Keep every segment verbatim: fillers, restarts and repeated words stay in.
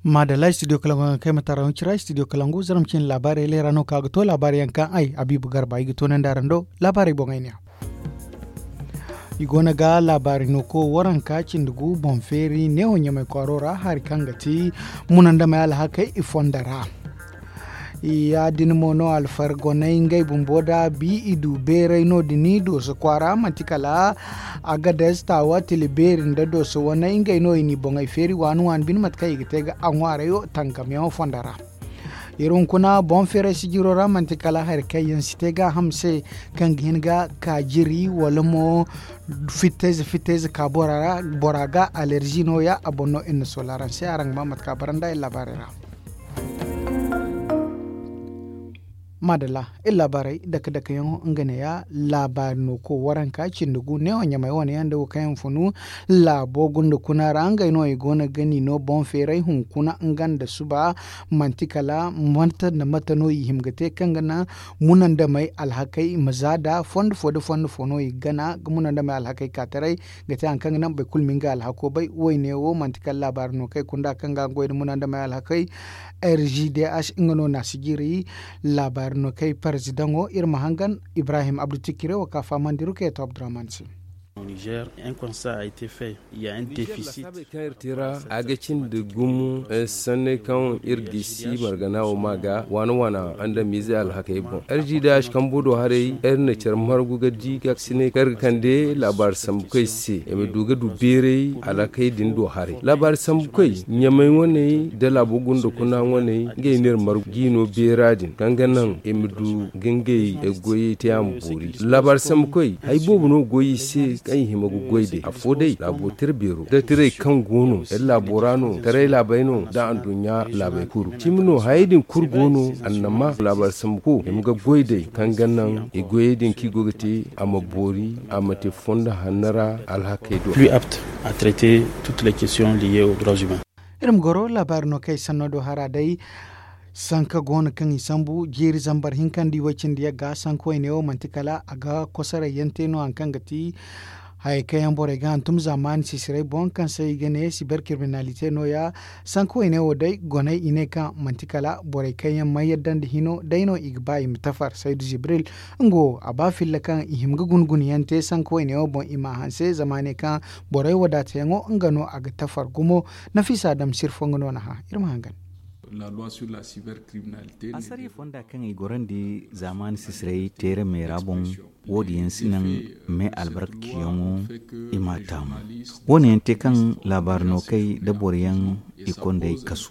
Maadalla studio kalangu yaŋ kaŋ ay ma tara huncira studio kalangu zaram cine laabaarey leera no kaŋ a ga to laabaarey yaŋ kaŋ ay habiibu garba ay ga toonandi araŋ do. Laabaarey boŋey ne ya. I go no ga laabaari no ko waranka cindi gu boŋ feeri neewo ɲamay kwaaro ra hari kaŋ ga ti munandamey alhakey i fonda ra. Ya- din mo no alfargoney ngey bumbo da bi i du beeray no- din dooso kwaara manti kala agades taawa tila beeri nda dooso waney ngey no i n'i boŋey feeri waani waani bine mate kaŋ i ga te ga a ŋwaarayo tangamyaŋo fonda ra. Iri hunkuna boŋ feeray sijiro ra manti kala hari kaŋ yaŋ si te gaaham se kaŋ ga hin ga ka jiri wala mo fittayze fittayze ka bora ga alerzi no- ya a boŋ no iri na sola araŋ se araŋ ga ma mate kaŋ a bara nda iri laabaarey ra. Maadalla iri laabaarey dake dake yaŋo nga ne- ya laabaari no ko waranka cindi gu neewo ɲamay wane yaŋ nda wo kaŋ yaŋ funu laabo gunda kuna ra ngey no i go no ga ni no boŋ feeray hunkuna nga nda suba manti kala mate nda mate no i hima ga te kaŋ ga naŋ munandamey alhakey i ma za da fondo fo nda fondo fo no i ga gana ga munandamey alhakey ka taray ga te hari kaŋ ga naŋ boro kulu ma nga alhako bay. Wayne wo manti kala laabaari no kaŋ ay kunda kaŋ ga a goy nda munandamey alhakey r g d h nga no na a sijiri. Laabaari no kaŋ ay parzidaŋo iri ma hangan ibrahim abdu tikire wo ka fahamandi rukeeto abdurahman se. Niger un constat a été fait. Ya un déficit. A ga cindi gumo sanney kaŋ iri gisi margana wo ma ga waana waana andamiize alhakey boŋ. Iri ji da a si kambo do haray iri na care margu ga di ga sine kaŋ iri ga kande laabaari sambu koy se i ma du ga du beeray alhakey din do haray laabaari sambu koy ɲamay wane nda laabo gunda kuna wane ngey no iri margu ga i no beera din kaŋ ga naŋ i ma du ga ngey goyey te a ma boori. Laabaari sambu koy hari boobo no goy i se kaŋ i hima ga goy day afo day laabo tira beero da tiray kaŋ go no iri laabo ra no taray laabey no nda anduɲɲa laabey kuru cimi no hayey din kulu go no annama laabaari sambu ko i ma ga goy day kaŋ ga naŋ i goyey din kaŋ i go ga te a ma boori a ma te fondo hanno ra alhakey do. Plus apte à traiter toutes les questions liées aux droits humains. Iri ma goro laabaari no kaŋ ay sanno do hara day sanka go no kaŋ i sambu jeeri zambar hinka nda i way cindi yagga sanka wayne wo manti kala a ga kosoray yaŋ te no hari kaŋ ga ti hayey kaŋ yaŋ borey ga hantum zaamaani sisiray boŋ kaŋ se i ga ne siber kiriminalite no- ya. Sanka wayne wo day goney i ne kaŋ manti kala borey kaŋ yaŋ mana yadda nda hino day no i ga ba i ma tafar saydu zibril. Nga wo a ba filla kaŋ i hima ga guna guna yaŋ te sanka wayne wo boŋ i m'a hanse zama a ne kaŋ borey wadaatayaŋo nga no a ga tafar gumo. Nafiisa dam sirfo nga no na hã iri ma hangan. Asariya fonda kaŋ i gorandi zaamaani sisiray teeramey ra boŋ wo- din yaŋ si naŋ me albarkaciyaŋo i m'a taamu. Wo- ne yaŋ te kaŋ laabaari no kay da boro yaŋ i kondey kasu.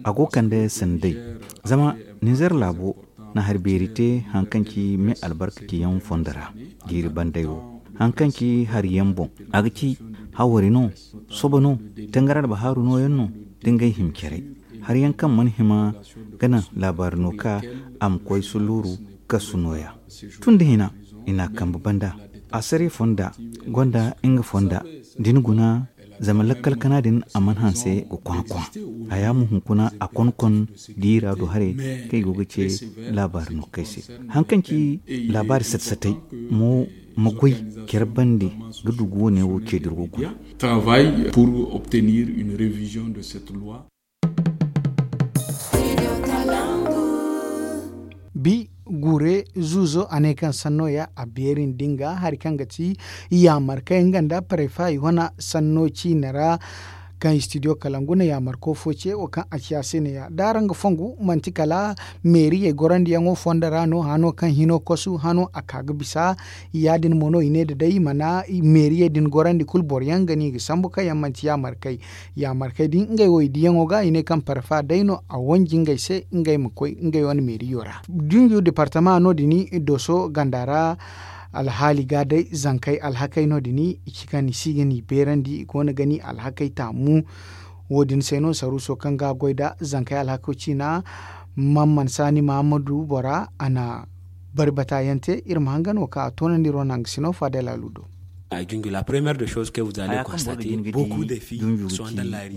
A go kande sanday zama ninzer laabo na hari beeri te hari kaŋ ci me albarkaciyaŋ fondo ra jiiri banday wo hari kaŋ ci hari yaŋ boŋ a ga ci hawari no soba no tangara nda bahaaru nooyaŋ no da ngey hima care hari yaŋ kaŋ mana hima ga naŋ laabaari no ka a ma koy suluuru kasu nooya. Tun da hina i n'a kambe banda asariya fonda gonda nga fonda da ni guna zama lakkal kana din a mana hanse ga kwana kwana. Haya ma hunkuna a konkon diira do haray kaŋ i go ga ce laabaari no kay se hari kaŋ ci laabaari sata satay mo ma goy care bande ga dugu wane wo ce da iri go guna. Travail pour obtenir une révision de cette loi. Bi gure zuuzo a ne kaŋ sanno ya a beeri nda nga hari kaŋ ga ti yaamar kaŋ nga nda parefa i wana sanno ciine ra kaŋ studio kalangu na yaamarko fo ce wo kaŋ a ci a se ne ya da araŋ ga fongu manti kala meeriyey gorandiyaŋo fondo ra no hano kaŋ hino kosu hano a ka ga bisa. Ya- din mo no i ne da day i mana meeriyey din gorandi kulu boro yaŋ ga no i ga sambu kaŋ yaŋ manti yaamarkey. Yaamarkey din ngey wo i diyaŋo ga i ne kaŋ parfa day no a wanji ngey se ngey ma koy ngey wane meeriyo ra. Dunju departama no- din dooso ganda ra alhaali ga day zankey alhakey no- din i ci kaŋ i si ga ni beerandi i go no ga ni alhakey taamu. Wo- din se no saruuso kaŋ ga a goy nda zankey alhako ciina mamman saani mahammadu bora a na bari bata yaŋ te iri ma hangan wo kaŋ a toonandi iri wane hangasino faadel alu do. Haya kaŋ boro ga jin ga di dunju ga ci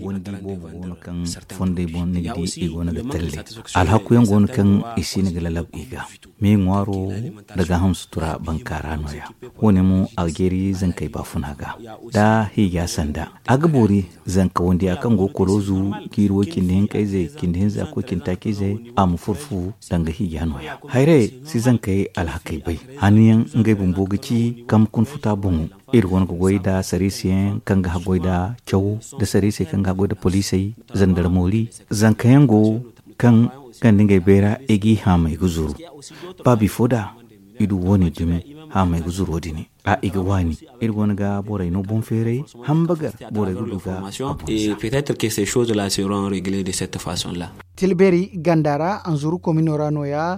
wani di boobo go no kaŋ fondey boŋ ni ga di i go no ga talle. Alhaku yaŋ go no kaŋ i si no ga lalab i ga. Me ŋwaaro nda gaaham sutura bankaara no- ya. Wo- ne mo algeeri zankey baafuna ga da hiija sanda a ga boori zanka wandiya kaŋ go koloozu jiiri way cindi hinka izey cindi hinza koy cindi taaci izey a ma furfu danga hiija no- ya. Hayray si zankey alhakey bay. Hanno yaŋ ngey bumbo ga ci kambe kuna futa boŋo. Iri go no ga goy nda sariisi yaŋ kaŋ ga haggoy nda caw nda sariisey kaŋ ga haggoy nda poliisey zandar moori. Zanka yaŋ go kaŋ ganda ngey bayra i g'i haamay ga zuru. Ba bifo da i du wo- ne dumi haamay ga zuro din. A i ga waani iri go no ga borey no boŋ feeray. Hambagar borey ga du ga a boŋ za. Petetre ke se chose la seron regle de cette façon la. Tilbeeri ganda ra anzuru komino ra no- ya.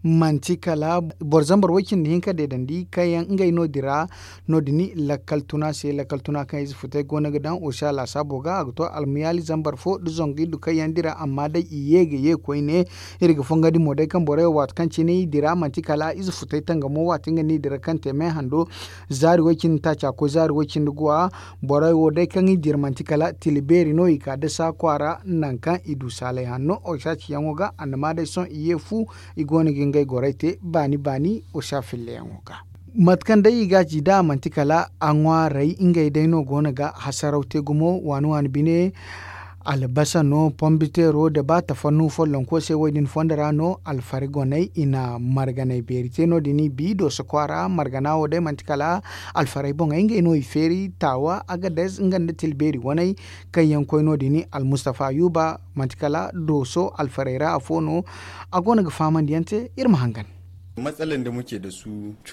Manti kala boro zambar way cindi hinka deedandi kaŋ yaŋ ngey no- din ra. No- din lakkal tuna se lakkal tuna kaŋ ize futay go no ga daŋ osa laasaabo ga a ga to almuyaali zambar fo nda zangu iddu kaŋ yaŋ din ra amma day i ye ga ye koyne. Iri ga fongondi mo day kaŋ borey wo waati kaŋ cine i dira manti kala ize futay tangamo waati nga no i dira kaŋ te me hando. Zaari way cindi taaca koy zaari way cindi guwa. Borey wo day kaŋ i dira manti kala tila beeri no i ka dasa kwaara nangu kaŋ i du saalay hanno osa ciyaŋo ga annama day sohõ i ye fu. I go no ga ngey gorey te baani baani osa filleyaŋo ga. Mate kaŋ day i ga a ci da a manti kala a ŋwaaray ngey day no go no ga hasaraw te gumo waani waani bine. Albasa no pombiteero nda ba tafannu follonko se wo- din fondo ra no alfari goney i na marganey beeri te no- din i bi dooso kwaara margana wo day manti kala alfarey boŋey ngey no i feeri taawa agades nga nda tilbeeri waney. Kaŋ yaŋ koy no- din almustafa yuuba manti kala dooso alfarey ra afo no. A go no ga fahamandi yaŋ te iri ma hangan.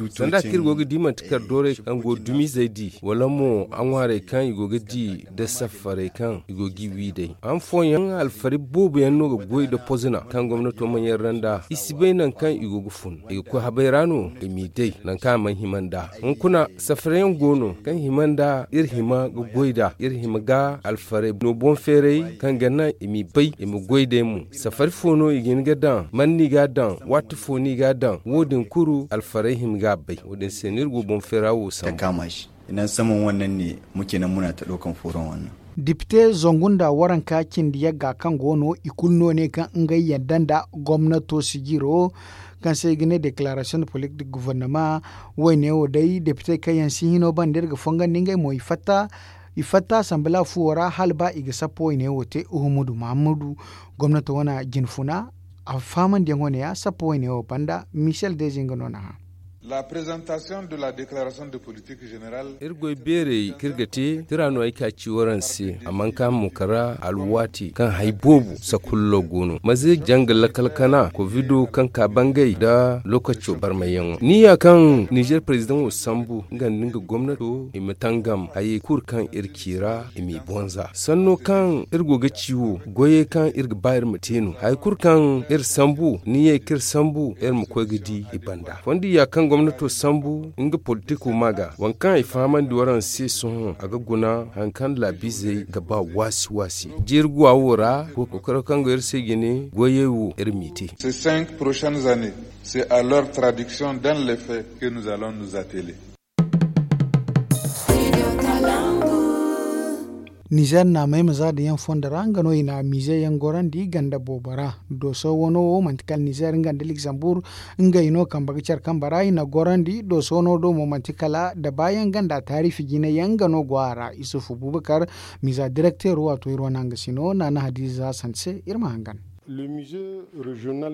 Sanda kaŋ iri go ga di manti kala doorey kaŋ go dumizey di wala mo a ŋwaarey kaŋ i go ga di nda safarey kaŋ i go g'i wi day han fooyaŋ alfari boobo yaŋ no ga goy nda pozina kaŋ gomnato mana yarra nd'a i si bay nangu kaŋ i go ga fun i ga koy habay ra no i m'i day nangu kaŋ a mana hima nd'a. Hunkuna safara yaŋ go no kaŋ hima nda iri hima ga goy nd'a iri hima ga alfaray no boŋ feeray kaŋ ga naŋ i m'i bay i ma goy day mo. Safari fo no i ga hin ga daŋ man no i ga a daŋ waati fo no i ga a daŋ wo- din kulu alfaray hima ga a bay wo- din se no iri go boŋ feera wo sambu. Dipite zangu nda waranka cindi yagga kaŋ go no i kulu no ne kaŋ ngey yadda nda gomnato sijiro kaŋ se i ga ne deklaarasiyoŋ de politik de guvernama. Wayne wo day depite kaŋ yaŋ si hino banda iri ga fongandi ngey mo i fatta. I fatta asanbila fuwo ra hala ba i ga sappo wayne wo te uhumudu mahammadu gomnato wane jinfuna. A fahamandiyaŋo ne ya sappo wayne wo banda michel dezi nga no na hã. Iri goy beerey kaŋ iri ga te tira no ay ka ci waraŋ se a mana ka mo kara alwaati kaŋ hari boobo sakullo go no maze janga lakal kana kovido kaŋ ka bangay nda lokaco barmayyaŋo ni ya kaŋ nizer perezidaŋo sambu nga nda nga gomnato i ma tangam hayey kulu kaŋ iri ci ra i m'i bonza sanno kaŋ iri go ga ci wo goyey kaŋ iri ga ba iri ma te no hari kulu kaŋ iri sambu ni ye kaŋ iri sambu iri ma koy ga di i banda fondi ya kaŋ gomnato sambu nga politiko ma ga waŋ kaŋ ay fahamandi waraŋ se sohõ a ga guna hari kaŋ laabizey ga ba waasi waasi jiiri guwa wo ra kookaro kaŋ go iri se jine goyey wo iri m'i te. Nizer naamey ma za da yaŋ fondo ra nga no i na miize yaŋ gorandi ganda boobo ra. Dooso wano wo manti kala nizer nga nda ligzambur ngey no kambe ga care kambe ra i na gorandi dooso wano do mo manti kala dabaayaŋ ganda taarifi jine yaŋ nga no go a ra isufu bubakar. Miiza direkteero waato iri wane hangasino naana hadiiza sante se iri ma hangan.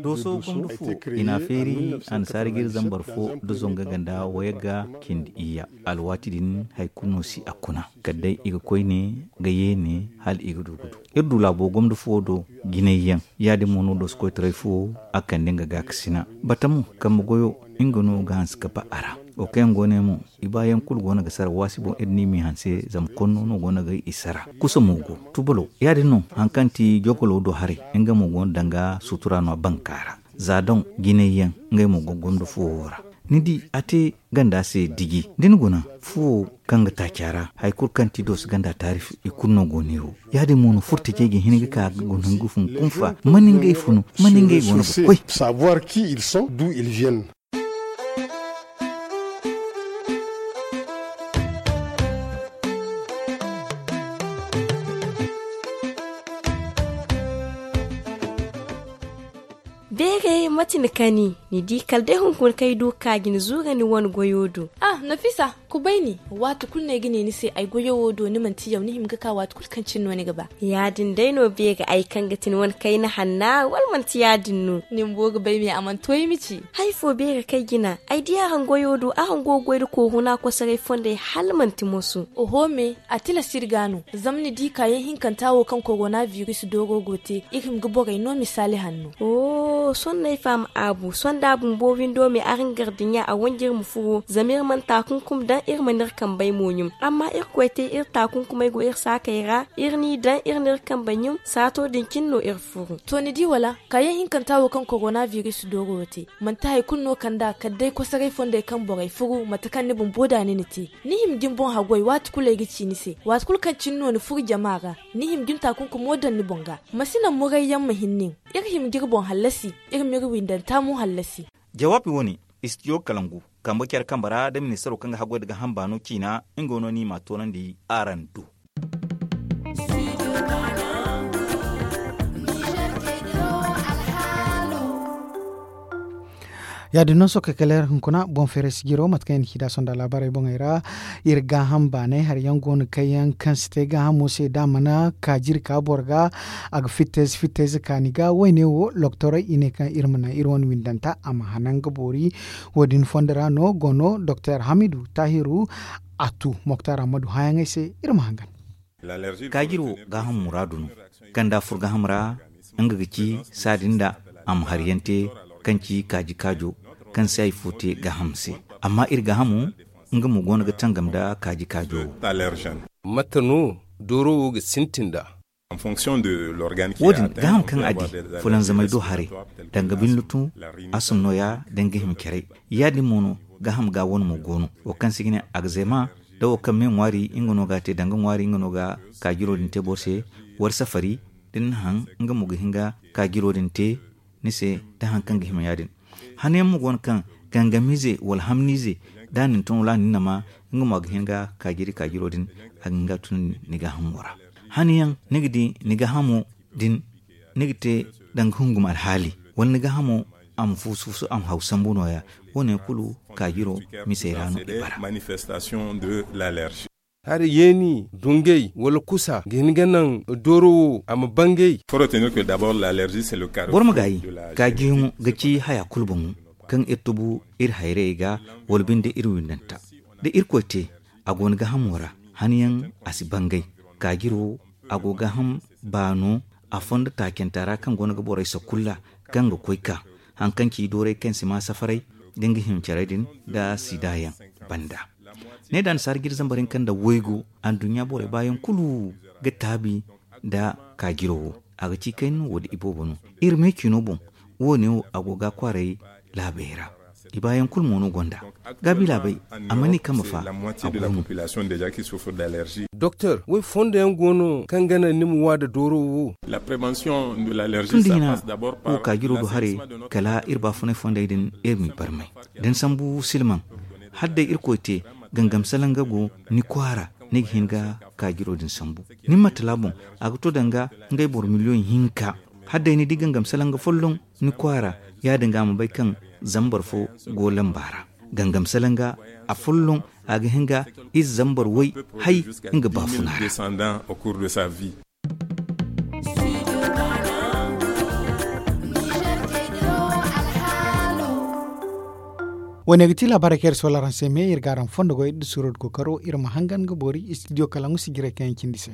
Dooso gomdo fo i na a feeri annasaari ga iri zambar fo nda zonga ganda wayagga cindi iyya. Alwaati din hari kulu no si a kuna kala day i ga koyne ga yeene hala i ga du ga du. Iri du laabo gomdo fo do jinay yaŋ ya- din mo no dooso koytaray fo a kande nga gaakasina bata mo kambe goyo nga no ga hanse ga ba a ra. Wo kaŋ yaŋ go ne mo i baayaŋ kulu go no ga sara waasi boŋ iri no i m'i hanse zama konno no go no ga i sara. Kusa mo go tubalo ya- din no hari kaŋ ti jogolo do haray nga mo go no danga sutura no a banka ra. Za doŋ jinay yaŋ ngey mo go gomdo fuwo ra. Ni di a te ganda se diji da ni guna fuwo kaŋ ga taaci a ra hari kulu kaŋ ti dooso ganda taarif i kulu no go neewo. Ya- din mo no furtajey ga hin ga ka ga guna ga fun kunfa man ngey funu man ngey go no ga koy. Savoir qui ils sont d'où ils viennent. Mate ni kani, ni di kala day hunkuna kaŋ ay du ka ga ni zuura ni wane goyo do. Ah, nafisa, kubay ni. Waati kulu no ay ga ne ni se ay goyo wo do ni manti yaw ni hima ga ka waati kulu kaŋ cine no ni ga ba. Ya- din day no beeri ay kaŋ ga ti ni wane kayna hanna wala manti ya- din no? Ni bumbo ga bay me a mana to ay ma ci. Hari fo beeri kaŋ ay jina ay di araŋ goyo do araŋ go ga goy nda kooru no a kosoray fondey hala manti moso. Oho me, a tilas iri ga no. Zama ni di kaayaŋ hinkanta wo kaŋ korona biris dooro go te, iri hima ga borey no misaali hanno. Sohõ no ay faham aabu sohõ da a bumbo windo me araŋ gar dinya a wanji iri ma furo zama iri mana taakunkum daŋ iri mana iri kambey mo ɲum. Amma irkoy te iri taakunkumey go iri saakey ra, iri n'i daŋ iri n'iri kambey ɲum saato din cine no iri furu. To ni di wala? Kaayaŋ hinkanta wo kaŋ korona biris dooro wo te, manti hari kulu no kand'a kala day kosoray fondey kaŋ borey furu mate kaŋ ni bumbo da ni na te. Ni hima ga ni boŋ haggoy waati kulu ay ga ci ni se waati kulu kaŋ cine no ni furu jama ra. Ni hima ga ni taakunkumo daŋ ni boŋ ga. Ma si naŋ murayyaŋ ma hin nin. Iri hima ga iri boŋ hallasi. Iri m'iri windanta mo hallasi. Jawaabi wo- ne, istidiyo kalangu kambe care kambe ra nda ministaro kaŋ ga haggoy nda gaaham baano ciina. Nga no ni m'a toonandi araŋ do. Ya- din no sohõ kay kala iri hunkuna boŋ feeray si jiro mate kaŋ i na ci nd'a sonda laabaarey boŋey ra. Iri gaaham baanay hari yaŋ go no kaŋ yaŋ kaŋ si te gaahamo se da a mana kaaji iri ka boro ga. A ga fittayze fittayze kaani ga wayne wo loktorey i ne kaŋ iri ma naŋ iri wane windanta a ma hanan ga boori. Wo- din fondo ra no go no doktor hamidu taahiru. A tu moktar ammadu hããyaŋey se. Iri ma hangan. Kaajiro gaaham muraadu no. Kaŋ da a fur gaaham ra nga ga ci saadin da a ma hari yaŋ te kaŋ ci kaaji kaajo kaŋ si hari fo te gaaham se. Amma iri gaahamo nga mo go no ga tangam nda kaaji kaajo wo. Mate no dooro wo ga sintin nd'a? Wo- din gaaham kaŋ a di fulanzamey do haray danga binlutu, asum nooya da nga hima caray. Ya- din mo no gaaham ga wane mo go no wo kaŋ se i ga ne agzema. Da wo kaŋ me ŋwaari nga no ga a te danga ŋwaari nga no ga kaajiro din te boro se. Wala safari da ni na haŋ nga mo ga hin ga kaajiro din te ni se. Da hari kaŋ ga hima ya- din hanayaŋ mo go no kaŋ gangamiize wala hamniize da a na ni tun wala a na ni nama nga mo a ga hin ga kaajiri kaajiro din a ga hin ga a tun ni gaahamo ra. Hanayaŋ ni ga di ni gaahamo din ni ga te danga hungum alhaali wala ni gaahamo a ma fuusu fuusu a ma haw sambu nooya. Wo- ne kulu kaajiro misey ra no i bara. Hari yeeni dungay wala kusa ga hin ga naŋ dooro wo a ma bangay. Boro ma gaayi kaajiyaŋo ga ci haya kulu boŋo kaŋ iri tubu iri hayrayey ga wala binde iri windanta. Da irkoy te a go ni gaahamo ra hanayaŋ a si bangay. Kaajiro a go gaaham baano a fondo taacanta ra kaŋ go no ga borey sakulla kaŋ ga koy ka hari kaŋ ci dooray kaŋ si ma safaray da nga hima caray din da sida yaŋ banda. Ne da annasaara jire zambar hinka nda waygu anduɲɲa borey baayaŋ kulu ga taabi nda kaajiro wo. A ga ci kayna no wala iboobo no iri me ciino boŋ. Wo- ne wo a go ga a kwaaray laabey ra. I baayaŋ kulu mo no gonda gaabi laabey. Amma ni kambe fa a go no. Doktor, way fondo yaŋ go no kaŋ ga naŋ ni ma wa nda dooro wo? Tun da hina wo kaajiro do haray kala iri baafunay fondey din iri m'i barmay. Da ni sambu silmaŋ hala day irkoy te gangam salanga go ni kwaara ni ga hin ga kaajiro din sambu. Ni ma tala boŋ a ga to danga ngey boro miliyoŋ hinka. Hala day ni di gangam salanga folloŋ ni kwaara ya- din ga a ma bay kaŋ zambar fo go lamba ra. Gangam salanga a folloŋ a ga hin ga ize zambar way hay nga baafuna ra. Wo- ne ga ti laabaarey kaŋ iri sola araŋ se me iri ga araŋ fondo goy da suuro da kookaro iri ma hangan ga boori istidiyo kalaŋ sijirey kaŋ yaŋ cindi se.